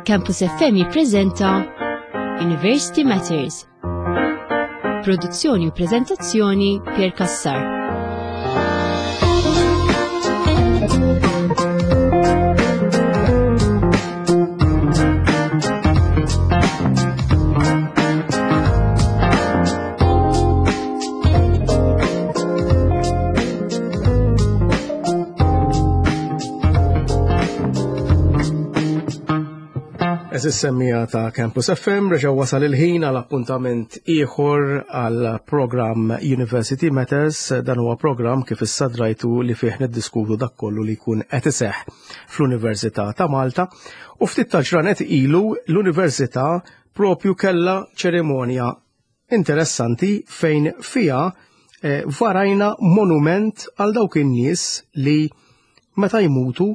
Campus FM jippreżenta University Matters. Produzzjoni u preżentazzjoni Pier Cassar. Eżis semmija ta' Campus FM reġa' wasal il-ħin għal appuntament ieħor għal programm University Matters. Dan huwa programm kif issa drajtu li fih niddiskutu dak kollu li jkun qed iseħħ fl-Università ta' Malta. U ftit ta' ġranet ilu l-Università propju kellha ċerimonja interessanti fejn fiha eh, varajna monument għal dawk in-nies li meta jmutu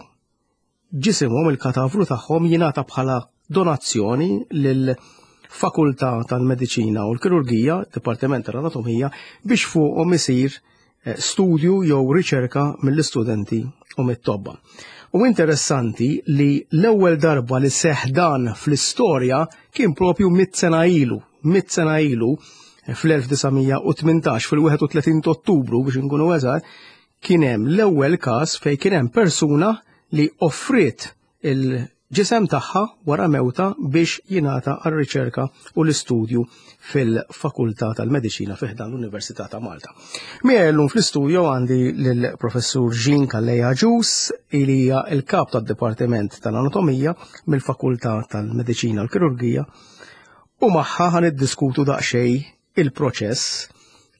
ġisimhom il-katavru tagħhom jingħata bħala donazzjoni lil fakultà tal-Mediċina u l-Kirurgija, Dipartiment tal-Anatomija, biex fuqhom isir eh, studju jew riċerka mill-istudenti u mit-tobba. U interessanti li l-ewwel darba li seħ dan fl-istorja kien propju mit sena ilu, mit sena ilu eh, fl-1918 fil-31 Ottubru biex nkunu eżatt, kien hemm l-ewwel każ fejn kien hemm persuna li offriet il-ġisem tagħha wara mewta biex jingħata għar-riċerka u l-istudju fil-Fakultà tal-Mediċina fi ħdan l-Università ta' Malta. Miegħi llum fl-istudju għandi lill-Professur Jean Calleja Agius, li hija l-kap tad-Dipartiment tal-Anatomija mill-Fakultà tal-Mediċina u l-Kirurgija, u magħha ħa niddiskutu daqsxejn il-proċess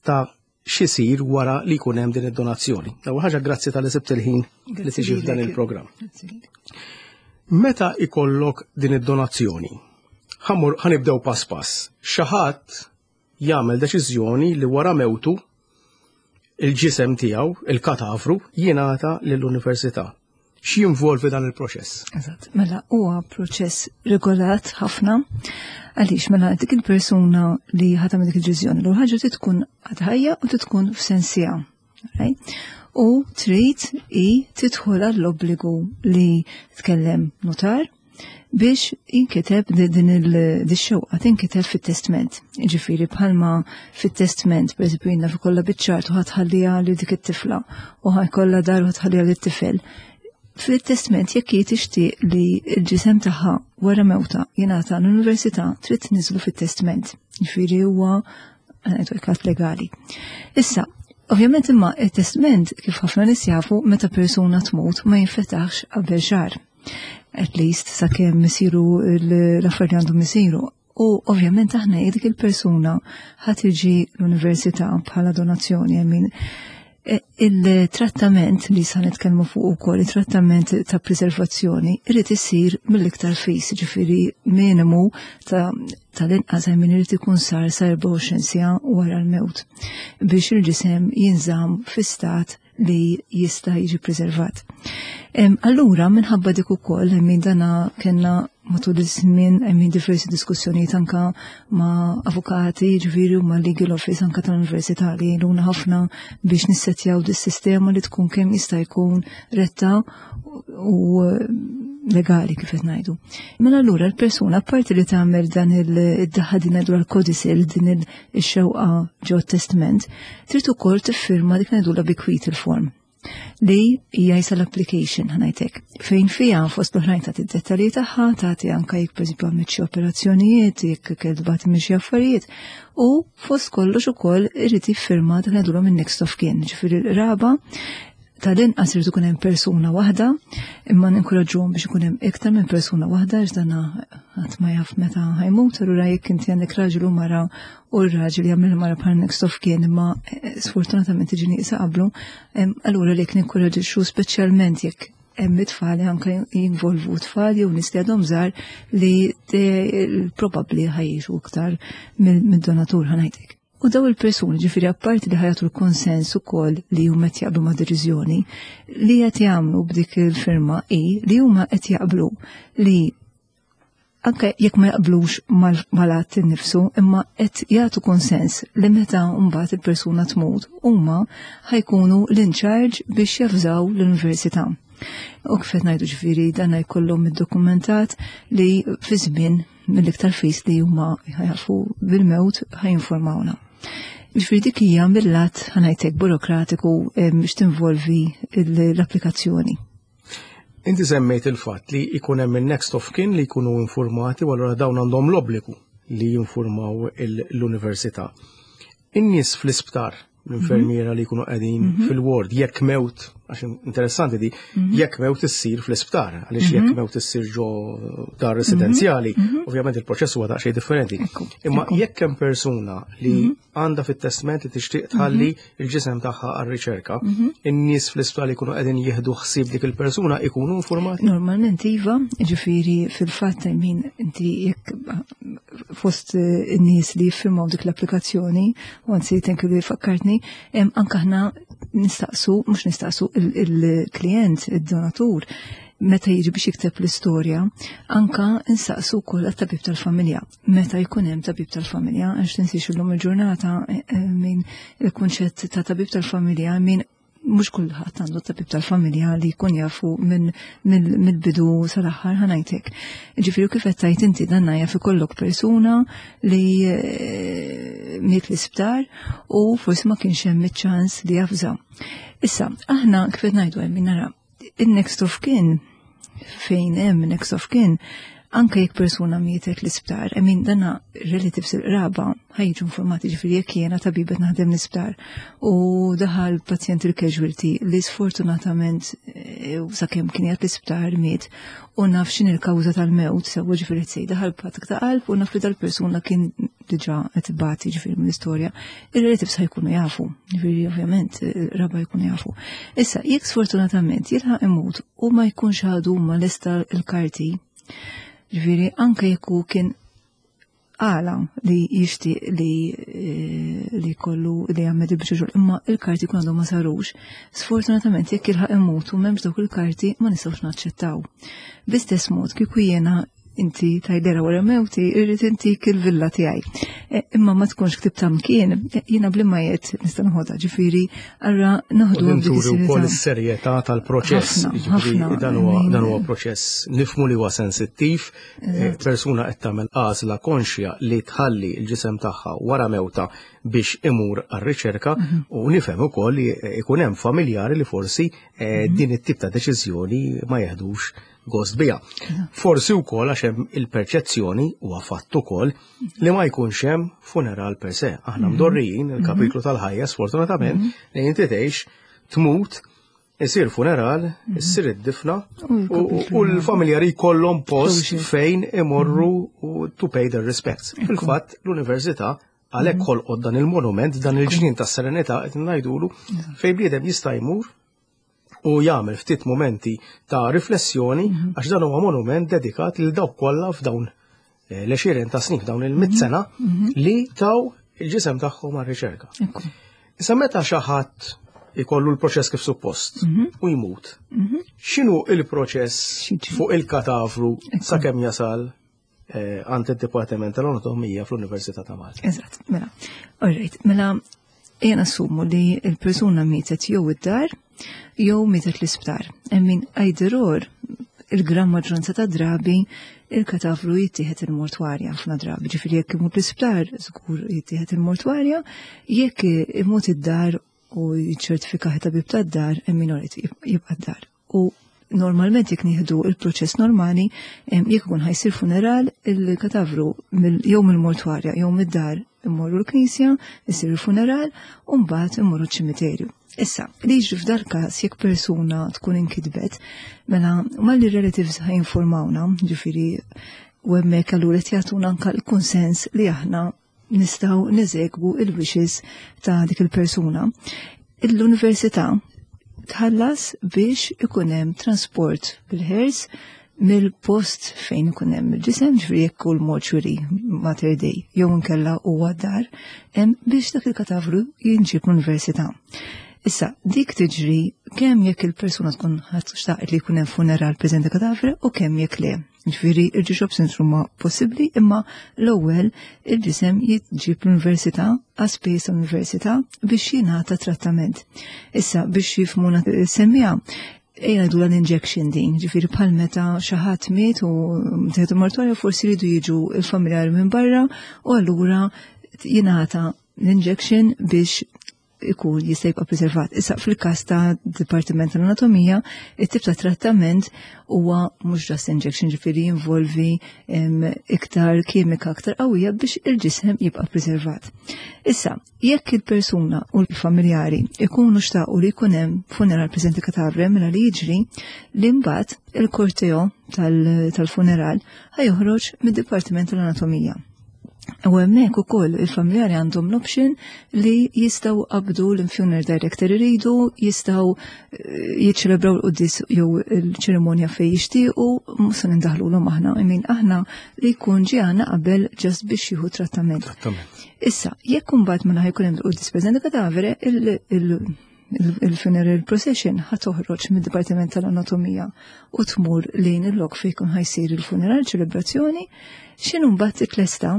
ta' x'isir wara li jkun hemm din id-donazzjoni. L-ewwel ħaġa grazzi tal-li sibt il-ħin li tiġi f'dan il-programm. Meta ikollok din id-donazzjoni, ħanibdew pass pass. Xi ħadd jagħmel deċiżjoni li wara mewtu il-ġisem tiegħu, il-katavru, jingħata lill-università. X'jinvolvi dan il-proċess? Eżatt, mela huwa proċess regolat ħafna għaliex mela dik il-persuna li ħatam dik il-ġiżjoni l ħaġa trid tkun għad ħajja u trid tkun f'sensija. Right? U trid i tidħol għall-obbligu li tkellem notar biex jinkiteb din il-xewqa tinkiteb fit-testment. Ġifieri bħalma fit-testment, per eżempju, jiena fi kollha biċ-ċart u ħatħalliha li dik it-tifla u ħajkollha dar u ħatħalliha lit-tifel. Fit-testment jekk hi tixtieq li l-ġisem tagħha wara mewta jingħata l-università trid tniżlu fit-testment. Ġifieri huwa ngħidu legali. Issa, ovvjament imma it-testment kif ħafna nies jafu meta persuna tmut ma jinfetaħx qabel xahar. At least sakemm isiru l-affarijiet li għandhom isiru. U ovvjament aħna dik il-persuna ħa tiġi l-università bħala donazzjoni, I mean, e, il-trattament li sa nitkellmu fuq ukoll, il-trattament ta' preservazzjoni, irid isir mill-iktar fis, ġifieri minimu ta' tal-inqas I mean irid ikun sar sa 24 siegħa wara l-mewt biex il-ġisem jinżamm fi stat li jista' jiġi preservat. Allura, minħabba dik ukoll, minn dana kellna matul iż-żmien hemm diversi diskussjonijiet anka ma' avukati, ġifieri u ma' legal office anka tal-università li jgħinuna ħafna biex nissettjaw dis-sistema li tkun kemm jista' jkun retta u legali kif qed ngħidu. Mela allura l-persuna apparti li tagħmel dan il-daħħa din ngħidu l-codicil din ix-xewqa ġo testament, trid ukoll tiffirma dik ngħidulha bequeathal form li hija jisa l-application ħanajtek. Fejn fija fost l-oħrajn tagħti d-dettalji tagħha, tagħti anke jekk pereżempju għamilt xi operazzjonijiet, jekk kelbat minn xi affarijiet, u fost kollox ukoll irid jiffirma dak ngħidulhom in-next of kin, ġifieri l-qraba tal-inqas irid ikun hemm persuna waħda, imma ninkoraġġuhom biex ikun hemm iktar minn persuna waħda għax dan ħadd ma jaf meta ħajmut, allura jekk inti għandek raġel u mara u r-raġel jagħmel mara bħal next of kin imma eh, sfortunatament tiġi nieqsa qablu, allura lek ninkoraġġixxu speċjalment jekk hemm it-tfal anke jinvolvu tfal jew nies li għadhom żgħar li probabbli ħajjixu iktar mid-donatur ħanajtek. U daw il-persuni, ġifieri apparti li ħajatu l-konsens ukoll li huma qed jaqblu ma' deċiżjoni, li qed jagħmlu b'dik il-firma hi li huma qed jaqblu li anke jekk ma jaqblux mal-att innifsu, imma qed jagħtu konsens li meta mbagħad il-persuna tmut, huma ħajkunu l-in charge biex javżaw l-università. U kif qed ngħidu ġifieri dan jkollhom iddokumentat li fi żmien mill-iktar fis li huma jafu bil-mewt ħajinformawna. Ġifieri dik hija mill-lat ħanajtek burokratiku biex tinvolvi l-applikazzjoni. Inti semmejt il-fatt li jkun hemm il-next of kin li jkunu informati u allura dawn għandhom l-obbligu li jinformaw l-università. In-nies fl-isptar, l-infermiera li jkunu qegħdin fil-ward, jekk mewt, għax interessanti di, jekk mewt issir fl-isptar, għaliex jekk mewt issir ġo dar residenzjali, ovvjament il-proċess huwa daqsxejn differenti. Imma jekk hemm persuna li għandha fit-testment li tixtieq tħalli il-ġisem tagħha għar-riċerka, in-nies fl-isptar li jkunu qegħdin jieħdu ħsieb dik il-persuna ikunu informati? Normalment iva, ġifieri fil-fatt min inti jekk fost in-nies li jiffirmaw dik l-applikazzjoni, u anzi thank you li fakkartni, anke aħna nistaqsu, mhux nistaqsu il-klient, il-donatur, meta jiġi biex jikteb l-istorja, anka insaqsu wkoll għat-tabib tal-familja. Meta jkun hemm tabib tal-familja, għax tinsiex illum il-ġurnata min il-kunċett ta' tabib tal-familja min mhux kulħadd għandu tabib tal-familja li jkun jafu mill-bidu sal-aħħar ħanajtek. Ġifieri kif qed tgħid inti dan jaf ikollok persuna li miet l-isptar u forsi ma kienx hemm iċ-ċans li jafża. Issa, aħna kif qed ngħidu hemm nara in-next of kin fejn hemm next of kin anke jekk persuna mietet l-isptar, I mean dana relatives il-qraba ħajġu informati ġifieri jekk jiena tabibet naħdem l-isptar u daħal pazjent il-casualty li sfortunatament sakemm kien qiegħed l-isptar miet u naf x'in il-kawża tal-mewt sewwa ġifieri tsej daħal b'attakk ta' qalb u naf li dal-persuna kien diġà qed ibati ġifieri mill-istorja, ir-relatives ħajkunu jafu, ġifieri ovvjament il-qraba jkunu jafu. Issa jekk sfortunatament jilħaq imut u ma jkunx għadu ma lesta l-karti, ġifieri anke jekk hu kien għala li jixtieq li kollu li jagħmel il-biċċa imma il-karti kun għadhom ma sarux. Sfortunatament jekk jilħaq imut u m'hemmx dawk il-karti ma nistgħux naċċettaw. B'istess mod kieku jiena inti tajdera wara mewti, irrid intik il-villa tiegħi. Imma ma tkunx ktib mkien, jiena blimma jgħid nista' noħodha, ġifieri allura noħdu dik is wkoll is-serjetà tal-proċess. Ġifieri dan huwa proċess nifhmu li huwa sensittiv, persuna qed tagħmel għażla konxja li tħalli l-ġisem tagħha wara mewta biex imur għar-riċerka u nifhem ukoll li ikun hemm familjari li forsi din it-tip ta' deċiżjoni ma jeħdux gost biha. Forsi wkoll għax hemm il-perċezzjoni huwa fatt ukoll li ma jkunx hemm funeral per se. Aħna mdorrijin il-kapitlu tal-ħajja sfortunatament li inti tgħix tmut, isir funeral, issir id-difna u l-familjari jkollhom post fejn imorru to pay their respects. Fil-fatt l-università għalhekk ħolqot dan il-monument, dan il-ġnien tas-serenità qed ngħidulu fejn bniedem jista' jmur u jagħmel ftit momenti ta' riflessjoni għax dan huwa monument dedikat lil dawk kollha f'dawn l-20 ta' snin, f'dawn il-100 sena li taw il-ġisem tagħhom għar-riċerka. Issa meta xi ħadd ikollu l-proċess kif suppost u jmut, x'inhu il-proċess fuq il-katavru sakemm jasal għand id-Dipartiment tal-Anatomija fl-Università ta' Malta? Eżatt, mela. All right, mela jena assumu li il-persuna mietet jew id-dar jew mietet l-isptar. Emmin either or, il-gran maġġoranza ta' drabi il-katavru jittieħed il-mortwarja ħafna drabi. Ġifieri jekk imut l-isptar, żgur jittieħed il-mortwarja, jekk imut id-dar u jiċċertifika tabib tad-dar, emmin orit jibqa' d-dar. U normalment jekk nieħdu il-proċess normali, jekk ikun ħajsir funeral, il-katavru jew mill-mortwarja jew mid-dar immorru l-knisja, isir il-funeral, u mbagħad immorru ċ-ċimiterju. Issa, li jiġri f'dal każ jekk persuna tkun inkitbet, mela malli relatives ħajinformawna, ġifieri u hemmhekk allura qed jagħtuna anke l-kunsens li aħna nistgħu neżegwu il-wishes ta' dik il-persuna. L-università tħallas biex ikun hemm transport bil-hearse mill-post fejn ikun hemm il-ġisem, ġifieri jekk kull mortuary Mater Dei jew inkella huwa dar, hemm biex dak il-katavru jinġib l-università. Issa, dik tiġri kemm jekk il-persuna tkun ħadd xtaqet li jkun hemm funeral preżenti katavru u kemm jekk le. Ġifieri il-ġiex options huma possibbli, imma l-ewwel il-ġisem jiġib l-università għas-spejjeż tal-università biex jingħata trattament. Issa biex jifhmuna semmija. Ejja ngħidu l-injection din, ġifieri bħal meta xi ħadd miet u tieħdu mortorja, forsi jridu jiġu il-familjari minn barra u allura jingħata l-injection biex ikun jista' jibqa' preservat. Issa fil-każ ta' Dipartiment tal-Anatomija, it-tip ta' trattament huwa mhux just injection, ġifieri jinvolvi iktar kimika aktar qawwija biex il-ġisem jibqa' preservat. Issa, jekk il-persuna u l-familjari ikunu xtaqu li jkun hemm funeral preżenti katavre, mela li jiġri li mbagħad il-korteo tal-funeral ħa joħroġ mid-Dipartiment tal-Anatomija. U hemmhekk ukoll il-familjari għandhom l-option li jistgħu qabdu l-funeral director iridu, jistgħu jiċċelebraw l-quddies jew il-ċerimonja fejn jixtiequ, mhux se nindaħlulhom aħna, I mean, aħna li jkun ġie għandna qabel just biex jieħu trattament. Issa, jekk imbagħad mela ħa jkun hemm l-quddies preżenti kadavere, il-funeral procession ħa toħroġ mid-Dipartiment tal-Anatomija u tmur lejn il-lok fejn jkun ħa jsir il-funeral ċelebrazzjoni, x'inhu mbagħad titlesta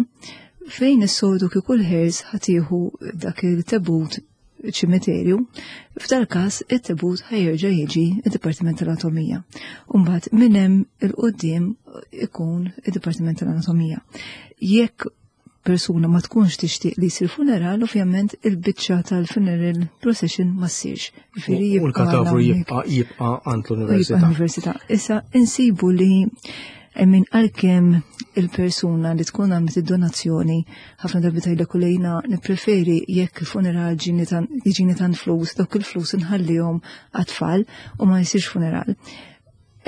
fejn is-soltu kieku l-hearse ħa tieħu dak il-tebut ċimiterju, f'dal każ it-tebut ħa jerġa' jiġi id-Dipartiment tal-Anatomija. Mbagħad minn hemm il-quddiem ikun id-Dipartiment tal-Anatomija. Jekk persuna ma tkunx tixtieq li jsir funeral, ovvjament il-biċċa tal-funeral procession ma ssirx. U l-katavru jibqa' għand l-università. L-università. Issa insibu li min għalkemm il-persuna li tkun għamlet id-donazzjoni ħafna drabi tgħidlek u lejna nippreferi jekk il-funeral jiġini tant flus, dawk il-flus nħallihom għat-tfal u ma jsirx funeral.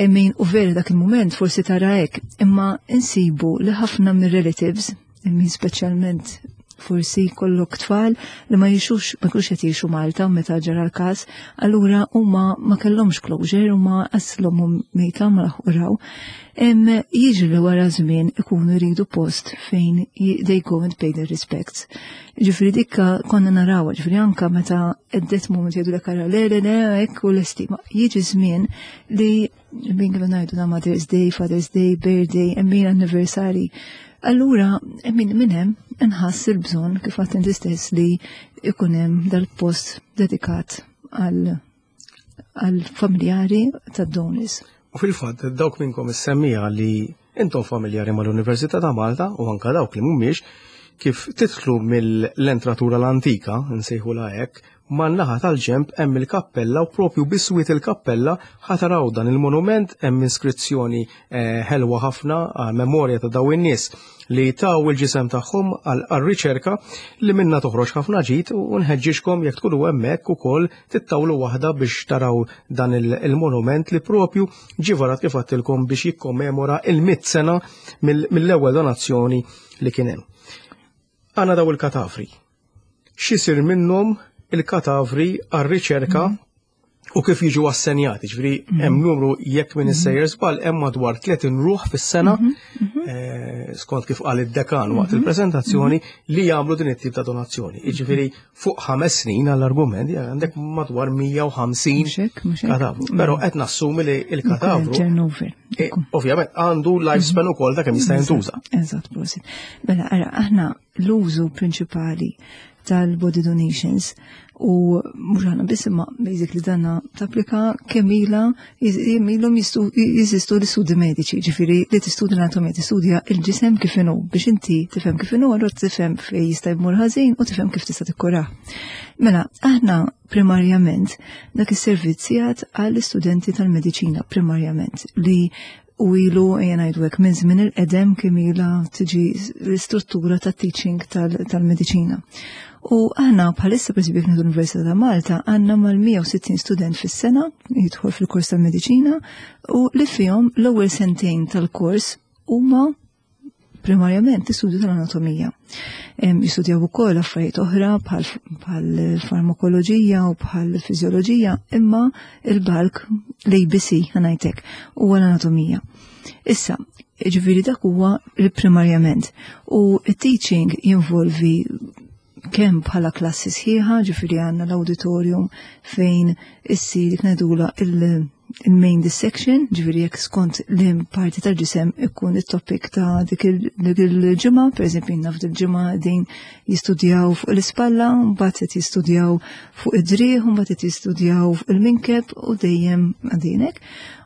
Min u veri dak il-moment forsi tara hekk, imma insibu li ħafna mir-relatives, min speċjalment forsi kollok tfal li ma jixux, ma jkunux qed jgħixu Malta meta ġara l-każ, allura huma ma kellhomx closure, huma aslhom mejta ma laħqu raw. Jiġri li wara żmien ikunu jridu post fejn they go and pay their respects. Ġifieri dikka konna narawha, ġifieri anka meta at that moment jgħidu lek ara le le le hekk u l-estima. Jiġi żmien li min kif ngħidu na Mother's Day, Father's Day, Birthday, min anniversary. Allura, min hemm inħass il-bżonn kif għedt inti stess li ikun hemm dal-post dedikat għal familjari tad-donors. U fil-fatt, dawk minnkom is-semmija li intom familjari mal-Università ta' Malta u anka dawk li mhumiex, kif titlu mill-entratura l-antika, nsejħu hekk, man-naħa tal-ġemp hemm il-kappella u propju biswit il-kappella ħa taraw dan il-monument, hemm iskrizzjoni ħelwa ħafna għal memorja ta' daw in-nies li taw il-ġisem tagħhom għal riċerka li minna toħroġ ħafna ġid, u nħeġġixkom jekk tkunu hemmhekk ukoll tittawlu waħda biex taraw dan il-monument li propju ġie varat kif għedtilkom biex jikkommemora il-100 sena mill-ewwel donazzjoni li kien hemm. Għandna daw il-katavri. X'isir minnhom il-katavri għar-riċerka u kif jiġu assenjati? Ġifieri hemm numru, jekk minn issejjer żball, hemm madwar 30 ruħ fis-sena, skont kif qal id-dekan waqt il-preżentazzjoni, li jagħmlu din it-tip ta' donazzjoni. Jiġifieri fuq 5 snin, għall-argument, għandek madwar 150 Mhux hekk, mhux hekk. katavru. Però qed nassumi li il-katavru Turnover. Ovvjament għandu lifespan ukoll ta' kemm jista' jintuża. Eżatt, prosit. Mela, ara, aħna l-użu prinċipali tal-body donations u mhux aħna biss, imma basically danna tapplika kemm ilha ilhom jeżistu l-istudji mediċi, ġifieri li tistudja l-anatomija, tistudja il-ġisem kif inhu biex inti tifhem kif inhu, allura tifhem fejn jista' jmur ħażin u tifhem kif tista' tikkurah. Mela, aħna primarjament dak is-servizz jgħat għall-istudenti tal-mediċina primarjament li u ilu, ejja ngħidu hekk, minn żmien il-qedem kemm ilha tiġi l-istruttura ta' teaching tal-mediċina. U aħna bħalissa, per esempio, fl-Università ta' Malta għandna mal-160 student fis-sena jidħol fil-kors tal-mediċina u li fihom l-ewwel sentejn tal-kors huma primarjament l-istudju tal-anatomija. Jistudjaw ukoll affarijiet oħra bħal farmakoloġija u bħal fiżjoloġija, imma il-bulk, l-ABC ħa ngħidlek, huwa l-anatomija. Issa, ġifieri dak huwa primarjament. U it-teaching jinvolvi kemm bħala klassi sħiħa, ġifieri għandna l-auditorium fejn issir ngħidula il- il-main dissection, ġifieri jekk skont li parti tal-ġisem ikun it-topic ta' dik il-ġimgħa, pereżempju naf il-ġimgħa din jistudjaw fuq l-ispalla, mbagħad qed jistudjaw fuq id-driegħ, mbagħad qed jistudjaw fuq il-minkeb u dejjem għadinek.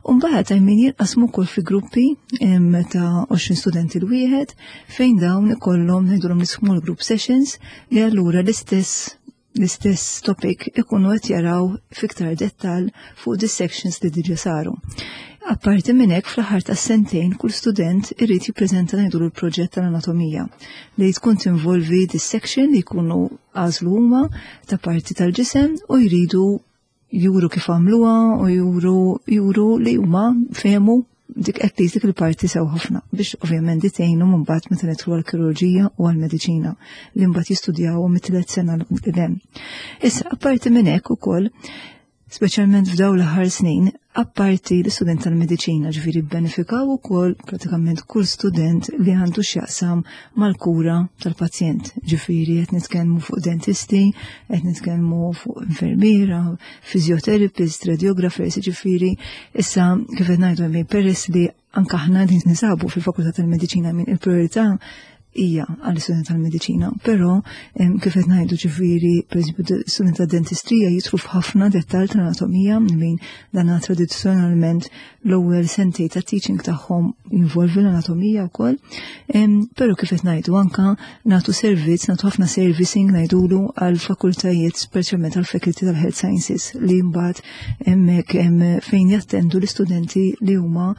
U mbagħad min jinqasmu wkoll fi gruppi ta' 20 studenti l-wieħed fejn dawn ikollhom ngħidulhom small group sessions li allura l-istess l-istess topic ikunu qed jaraw fiktar dettal fuq dissections li diġa saru. Apparti minn hekk fl-aħħar tas-sentejn kull student irid jippreżenta ngħidu l-proġett tal-anatomija li tkun tinvolvi dissection li jkunu għażlu huma ta' parti tal-ġisem u jridu juru kif għamluha u juru juru li huma fehmu dik at least dik il-parti sew ħafna biex ovvjament di tgħinhom mbagħad meta nidħlu għall-kirurġija u għall-mediċina li mbagħad jistudjaw mit-tliet sena l hemm. Issa apparti minn hekk ukoll speċjalment f'daw l-aħħar snin, apparti l-istudent tal-mediċina ġifieri bbenefikaw ukoll pratikament kull student li għandu x'jaqsam mal-kura tal-pazjent. Ġifieri qed nitkellmu fuq dentisti, qed nitkellmu fuq infermiera, physiotherapist, radiographers, ġifieri issa kif qed ngħidu hemm peress li anke aħna din nisabu fil-Fakultà tal-Mediċina minn il-priorità hija għall-istudent tal-mediċina, però kif qed ngħidu ġifieri pereżempju student tad-dentistrija jidħlu f'ħafna dettall tal-anatomija min dan tradizzjonalment l-ewwel sentej ta' teaching tagħhom jinvolvi l-anatomija wkoll. Però kif qed ngħidu anka nagħtu servizz, nagħtu ħafna servicing ngħidulu għal fakultajiet speċjalment għal faculty tal-Health Sciences li mbagħad hemmhekk fejn jattendu l-istudenti li huma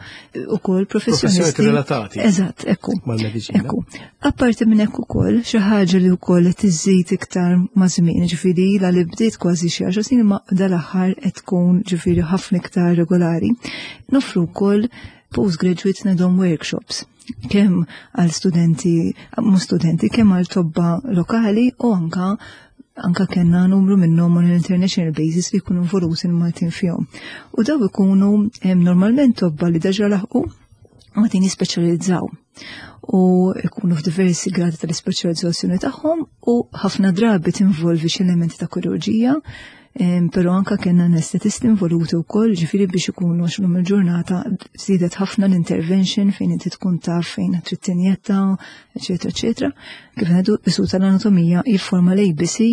ukoll professjonisti relatati. Eżatt, ekku. Mal-mediċina. Ekku. Apparti minn hekk ukoll xi ħaġa li wkoll qed iżżid iktar ma' żmien, ġifieri ilha li bdiet kważi xi għaxar snin ma dal-aħħar qed tkun ġifieri ħafna iktar regolari. Nofru wkoll postgraduate ngħidhom workshops kemm għal studenti, mhux studenti, kemm għal tobba lokali u anka anka kellna numru minnhom on an international basis li jkunu involuti l-Maltin fihom. U daw ikunu normalment tobba li deġa laħqu ma tin jispeċjalizzaw u ikunu f'diversi gradi tal-ispeċjalizzazzjoni tagħhom u ħafna drabi tinvolvi xi elementi ta' kirurġija, però anka kellna anestetisti involuti wkoll, ġifieri biex ikunu għax lum il-ġurnata żdiedet ħafna l-intervention fejn inti tkun taf fejn trid tinjetta, eċetera, eċetera. Kif ngħidu isu tal-anatomija jifforma l-ABC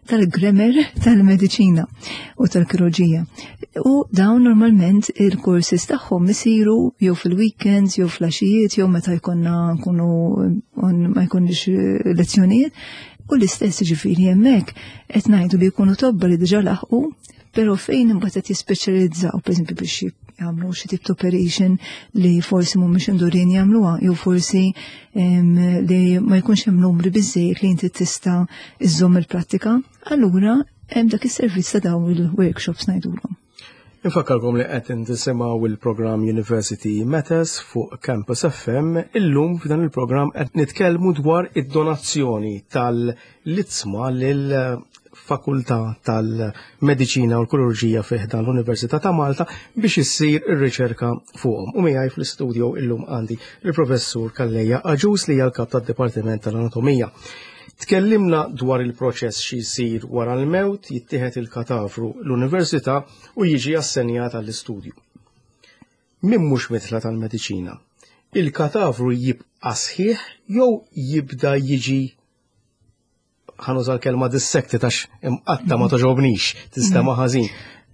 tal-grammar tal-mediċina u tal-kirurġija. U dawn normalment il-courses tagħhom isiru jew fil-weekends, jew fl-għaxijiet, jew meta jkollna nkunu ma jkunx lezzjonijiet. U l-istess ġifieri hemmhekk qed ngħidu li jkunu tobba li diġà laħqu, però fejn imbagħad qed jispeċjalizzaw, pereżempju biex jagħmlu xi tip ta' operation li forsi mhumiex indurin jagħmluha, jew forsi li ma jkunx hemm numri biżejjed li inti tista' iżżomm il-prattika, allura hemm dak is-servizz ta' dawn il-workshops ngħidulhom. Infakkarkom li qed tisimgħu il-programm University Matters fuq Campus FM. Illum f'dan il-programm qed nitkellmu dwar id-donazzjoni tal-iġsma lil Fakultà tal-Mediċina u l-Kirurġija fi ħdan l-Università ta' Malta biex issir ir-riċerka fuqhom. U miegħi fl-istudio illum għandi il-Professur Calleja Agius li hija l-kap tad-Dipartiment tal-Anatomija. Tkellimna dwar il-proċess xi jsir wara l-mewt, jittieħed il-katavru l-università u jiġi assenjat għall-istudju. Min mhux mitla tal-mediċina, il-katavru jibqa' sħiħ jew jibda jiġi ħa nuża l-kelma dissected għax imqatta ma toġobnix, tista' ħażin.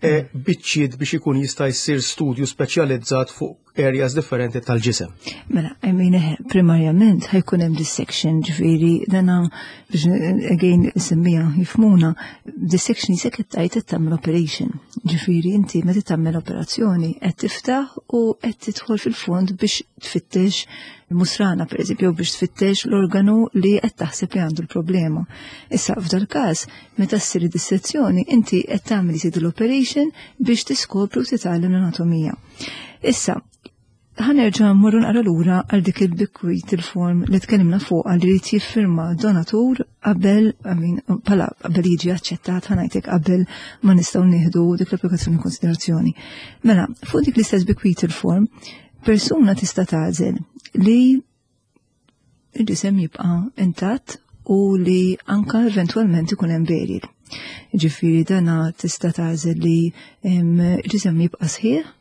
Biċċiet biex ikun jista' jsir studju speċjalizzat fuq areas differenti tal-ġisem. Mela, I mean, primarjament ħa jkun hemm dissection, ġifieri dana biex again semmija jifhmuna, dissection jisek qed tgħid qed tagħmel operation. Ġifieri inti meta tagħmel operazzjoni qed tiftaħ u qed tidħol fil-fond biex tfittex musrana per eżempju, biex tfittex l-organu li qed taħseb li għandu l-problema. Issa f'dal każ, meta ssir dissezzjoni, inti qed tagħmel isid l-operation biex tiskopri u titgħallem l-anatomija. Issa, ħa nerġa' mmorru naqra lura għal dik il-bequeathal form li tkellimna fuq għal li jiffirma donatur qabel, I mean, pala qabel jiġi aċċettat ħa ngħidlek qabel ma nistgħu nieħdu dik l-applikazzjoni konsiderazzjoni. Mela, fuq dik l-istess bequeathal form, persuna tista' tagħżel li il-ġisem jibqa' intatt u li anka eventualment ikun hemm burial. Ġifieri dana tista' tagħżel li il-ġisem jibqa' sħiħ.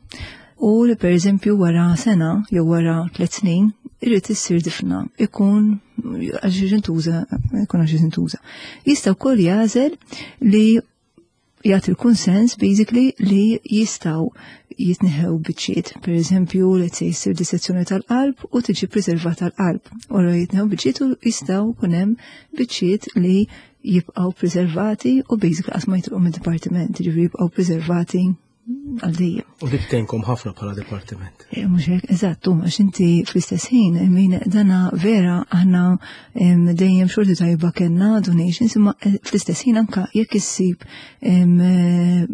U li per eżempju wara sena jew wara 3 snin irrid issir difna ikun għax intuża ikun għax intuża. Jista' wkoll jagħżel li jagħti l-kunsens basically li jistgħu jitneħew biċċiet. Per eżempju, let's say issir dissezzjoni tal-qalb u tiġi preservata l-qalb. U jitneħew biċċiet u jistgħu kun hemm biċċiet li jibqgħu preservati u basically qatt ma jitilqu mid-dipartiment, jiġifieri jibqgħu preservati għal dejjem. U dik tgħinkom ħafna bħala dipartiment. Eh, mhux hekk, eżatt, għax inti fl-istess ħin, min dana vera aħna dejjem xorti tajba kellna donations, imma eh, fl-istess ħin anka jekk issib eh,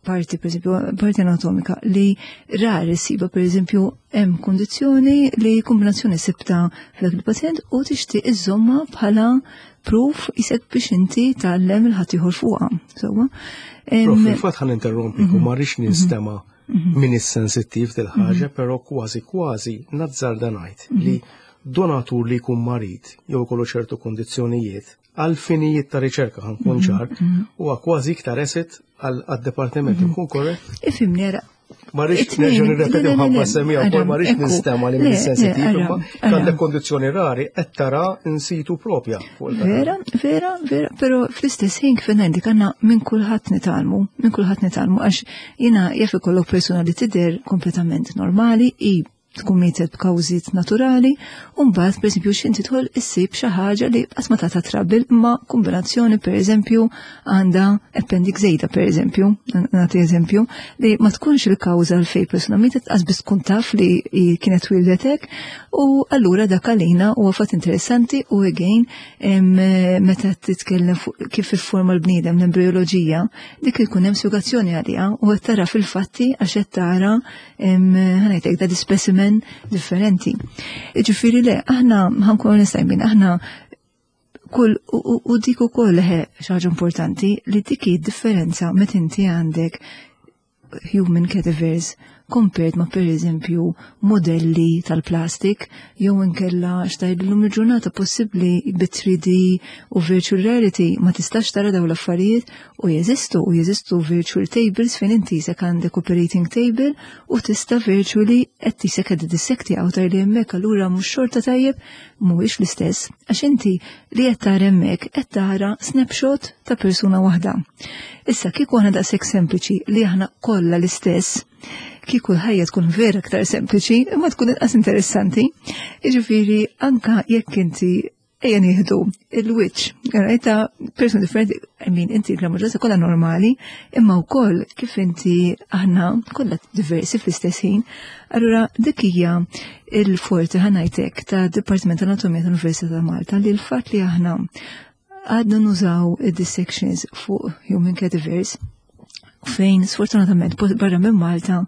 parti, per esempio, parti anatomika li rar issiba, per eżempju, hemm kondizzjoni li kombinazzjoni sibta f'dak il-pazjent u tixtieq iżomma bħala proof isek biex inti tgħallem il-ħaddieħor fuqha. Sewwa. Prof, il-fatt ħan interrompi u ma rridx ninstema' min is-sensittiv dil-ħaġa, però kważi kważi nazzarda ngħid li donatur li jkun marid jew ikollu ċertu kondizzjonijiet għal finijiet ta' riċerka ħa nkun ċar, huwa kważi iktar asset għad-departiment, nkun korrett? Ifhimni, ara. Ma rridx nerġa' nirrepeti mħabba semija wkoll ma rridx ninstema' li minn sensitiv, imma għandek kondizzjoni rari qed tara in situ propja fuq il Vera, vera, vera, però fl-istess ħin kif ngħidlek għandna minn kulħadd nitgħallmu, minn kulħadd nitgħallmu għax jiena jaf ikollok persuna li tidher kompletament normali i tkun mietet b'kawżiet naturali, u mbagħad pereżempju x'inti tidħol issib xi ħaġa li qatt ma tagħta trouble imma kombinazzjoni pereżempju għandha appendix żejda pereżempju, nagħti eżempju, li ma tkunx il-kawża għal fejn persuna mietet qas biss tkun taf li kienet wildet hekk, u allura dak għalina huwa fatt interessanti u again meta titkellem fuq kif ifforma l-bniedem l-embrioloġija, dik ikun hemm spjegazzjoni għaliha u qed tara fil-fatti għax qed tara ħanajtek da specimen differenti. Ġifieri le, aħna ħankun nistajmin, aħna kull u dik ukoll xi ħaġa importanti li dik hi differenza meta inti għandek human cadavers compared ma per eżempju modelli tal-plastik jew inkella xtajt l-lum il-ġurnata possibbli bi 3D u virtual reality ma tistax tara daw l-affarijiet u jeżistu u jeżistu virtual tables fejn inti se għandek operating table u tista' virtually qed tisek qed dissekti għaw li hemmhekk allura mhux xorta tajjeb mhuwiex l-istess għax inti li qed tara hemmhekk qed tara snapshot ta' persuna waħda. Issa kieku aħna daqshekk sempliċi li aħna kollha l-istess, kieku l-ħajja tkun vera aktar sempliċi, imma tkun inqas interessanti. Jiġifieri anka jekk inti ejja nieħdu il-wiċċ, ta' persuna differenti, I mean, inti l-maġġoranza kollha normali, imma wkoll kif inti aħna kollha diversi fl-istess ħin. Allura dik hija il-forti ħa ngħidlek ta' Dipartiment Anatomija tal-Università ta' Malta li l-fatt li aħna għadna nużaw id-dissections fuq human cadavers fejn sfortunatament barra minn Malta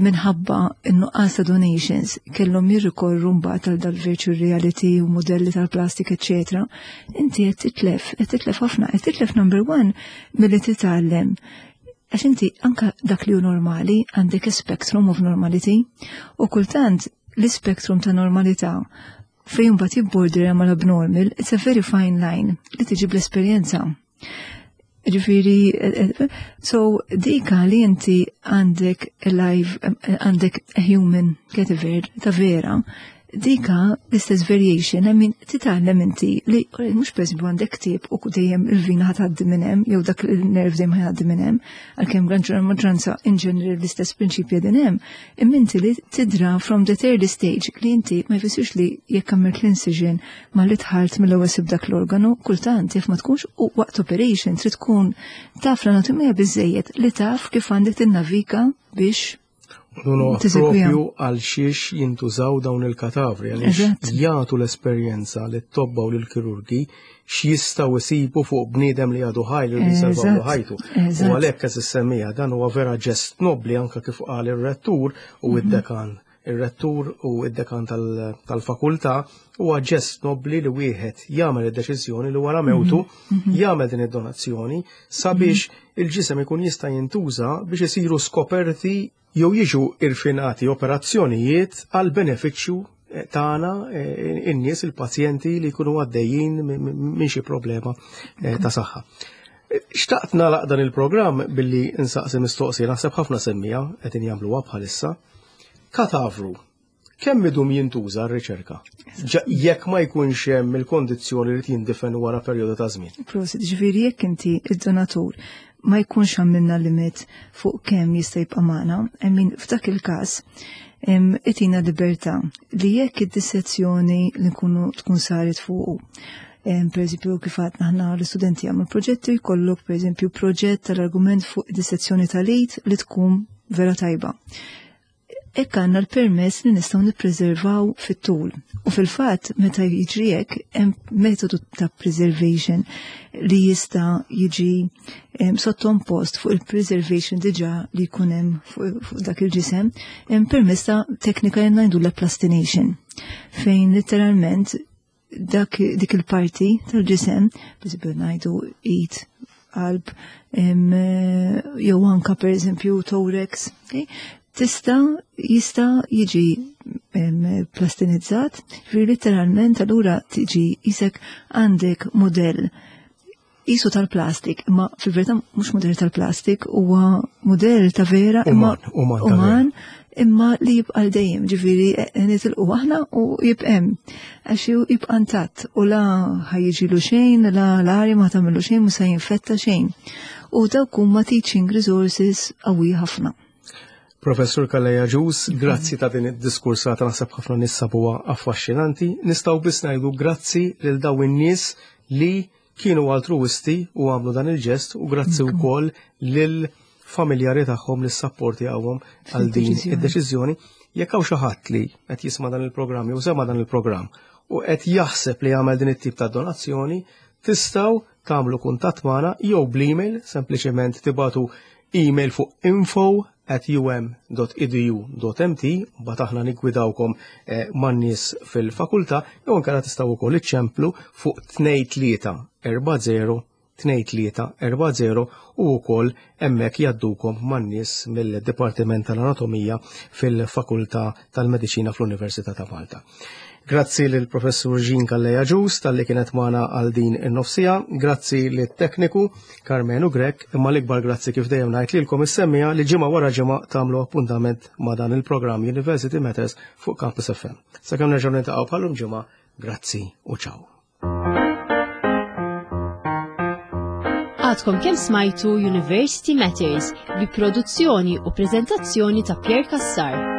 minħabba n-nuqqas ta' donations kellhom jirrikorru mbagħad għal dal-virtual reality u modelli tal-plastik, eċetera. Inti qed titlef, qed titlef ħafna, qed titlef number one milli titgħallem. Għax inti anka dak li hu normali għandek a spectrum of normality u kultant l-spectrum ta' normalità fejn mbagħad jibbordera mal-abnormal, it's a very fine line li tiġi bl-esperjenza. Ġifieri, so dika li inti għandek live, għandek a human cadaver ta' vera, dika l-istess variation, I mean, titgħallem inti li mhux per eżempju għandek tip u dejjem il-vina ħa tgħaddi minn hemm, jew dak il-nerv dejjem ħa jgħaddi minn hemm, għalkemm gran maġġoranza in general l-istess prinċipji din hemm, imma inti li tidra from the early stage li inti ma jfissirx li jekk għamilt l-incision ma li tħalt mill-ewwel sib dak l-organu, kultant jekk ma tkunx u waqt operation trid tkun taf l-anatomija biżejjed li taf kif għandek tinnavika biex Nuno propju għal xiex jintużaw dawn il-katavri, għaliex jagħtu l-esperjenza li t-tobba u l-kirurgi x'jistgħu jsibu fuq bniedem li għadu ħaj li jsalvaw ħajtu. U għalhekk qed issemmija dan huwa vera ġest nobli anke kif qal ir-rettur u id-dekan. Ir-rettur u id-dekan tal-fakultà huwa ġest nobli li wieħed jagħmel id-deċiżjoni li wara mewtu jagħmel din id-donazzjoni sabiex il-ġisem ikun jista' jintuża biex isiru skoperti jew jiġu irfinati operazzjonijiet għal benefiċċju tagħna in-nies il-pazjenti li jkunu għaddejjin minn xi problema ta' saħħa. Xtaqt nagħlaq dan il-programm billi nsaqsi mistoqsija naħseb ħafna semmija qegħdin jagħmluha bħalissa. Katavru, kemm idum jintuża r-riċerka? Jekk ma jkunx hemm il-kondizzjoni li jindifen wara perjodu ta' żmien. Prosit, ġifieri jekk inti id-donatur ma jkunx għamilna limit fuq kemm jista' jibqa' magħna, I mean f'dak il-każ itina libertà li jekk id-dissezzjoni li nkunu tkun saret fuqu. Per eżempju, kif għadna aħna l-istudenti jagħmlu proġetti, jkollok per eżempju proġett tal-argument fuq id-dissezzjoni tal-id li tkun vera tajba. Hekk għandna l-permess li nistgħu nippreservaw fit-tul. U fil-fatt meta jiġri hekk hemm metodu ta' preservation li jista' jiġi sottompost fuq il-preservation diġà li jkun hemm fuq dak il-ġisem, hemm permess ta' teknika li ngħidu la plastination fejn letteralment dak dik il-parti tal-ġisem, per ngħidu id, qalb, jew anka per eżempju thorax, okay? tista jista jiġi plastinizzat, ġifieri letteralment allura tiġi isek għandek modell jisu tal-plastik, imma fil-verità mhux modell tal-plastik, huwa modell ta' vera imma uman, uman imma li jibqa' l dejjem, ġifieri eh, nitilqu aħna u jibqem. Għax jibqa' ntatt u la ħajjiġilu xejn, la l-arja ma tagħmlu xejn, mhux se jinfetta xejn. U dawk huma teaching resources qawwi ħafna. Professur Calleja Ġus, grazzi ta' din id-diskursata naħseb ħafna nies sabuha affaxxinanti. Nistgħu biss ngħidu grazzi lil daw in-nies li kienu altruwisti u għamlu dan il-ġest u grazzi wkoll lil familjari tagħhom li sapporti għawhom għal din id-deċiżjoni. Jekk hawn xi ħadd li qed jisma' dan il-programm jew sema' dan il-programm u qed jaħseb li jagħmel din it-tip ta' donazzjoni, tistgħu tagħmlu kuntatt magħna jew bl-email, sempliċement tibatu email fuq info at um.edu.mt bat aħna nigwidawkom eh, man-nies fil-fakultà jew inkella tistgħu wkoll iċċemplu fuq 2340 2340 u wkoll hemmhekk jgħaddukom man-nies mill-Dipartiment tal-Anatomija fil-Fakultà tal-Mediċina fl-Università ta' Malta. Grazzi lil professur Jean Calleja Ġus talli kienet magħna għal din in-nofsija, grazzi lit tekniku Karmenu Grech, imma l-ikbar grazzi kif dejjem ngħid lilkom is-semmija li ġimgħa wara ġimgħa tagħmlu appuntament ma' dan il-programm University Matters fuq Campus FM. Sakemm nerġgħu niltaqgħu bħalum ġimgħa, grazzi u ciao. Għadkom kemm smajtu University Matters bi produzzjoni u preżentazzjoni ta' Pierre Cassar.